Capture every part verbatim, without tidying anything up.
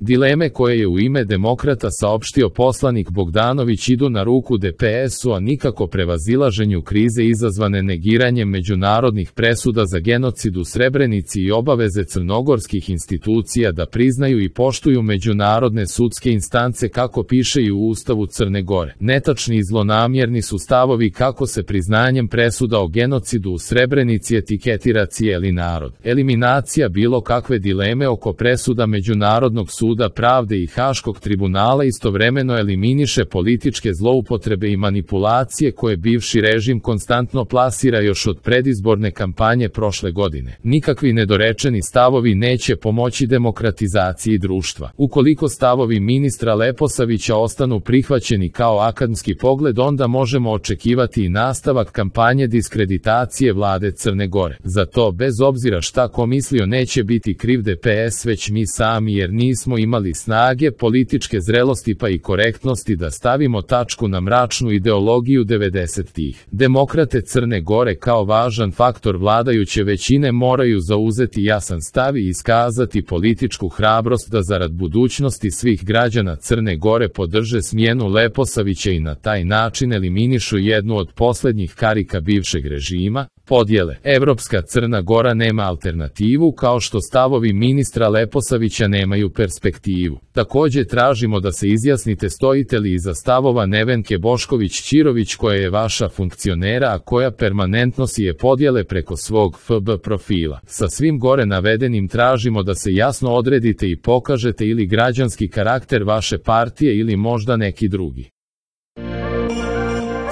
Dileme koje je u ime demokrata saopštio poslanik Bogdanović idu na ruku D P S-u, a nikako prevazilaženju krize izazvane negiranjem međunarodnih presuda za genocid u Srebrenici i obaveze crnogorskih institucija da priznaju i poštuju međunarodne sudske instance, kako piše i u Ustavu Crne Gore. Netačni i zlonamjerni su stavovi kako se priznanjem presuda o genocidu u Srebrenici etiketira cijeli narod. Eliminacija bilo kakve dileme oko presuda Međunarodnog suda pravde i Haškog tribunala istovremeno eliminiše političke zloupotrebe i manipulacije koje bivši režim konstantno plasira još od predizborne kampanje prošle godine. Nikakvi nedorečeni stavovi neće pomoći demokratizaciji društva. Ukoliko stavovi ministra Leposavića ostanu prihvaćeni kao akademski pogled, onda možemo očekivati i nastavak kampanje diskreditacije vlade Crne Gore. Za to, bez obzira šta ko mislio, neće biti kriv D P S, već mi sami, jer nismo imali snage, političke zrelosti pa i korektnosti da stavimo tačku na mračnu ideologiju devedesetih. Demokrate Crne Gore kao važan faktor vladajuće većine moraju zauzeti jasan stav i iskazati političku hrabrost da zarad budućnosti svih građana Crne Gore podrže smjenu Leposavića i na taj način eliminišu jednu od posljednjih karika bivšeg režima. Podjele. Evropska Crna Gora nema alternativu, kao što stavovi ministra Leposavića nemaju perspektivu. Također tražimo da se izjasnite stojite li iza stavova Nevenke Bošković-Ćirović, koja je vaša funkcionera, a koja permanentno sije podjele preko svog F B profila. Sa svim gore navedenim tražimo da se jasno odredite i pokažete ili građanski karakter vaše partije ili možda neki drugi.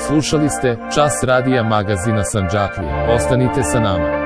Slušali ste Čas radija magazina Sandžaklija. Ostanite sa nama.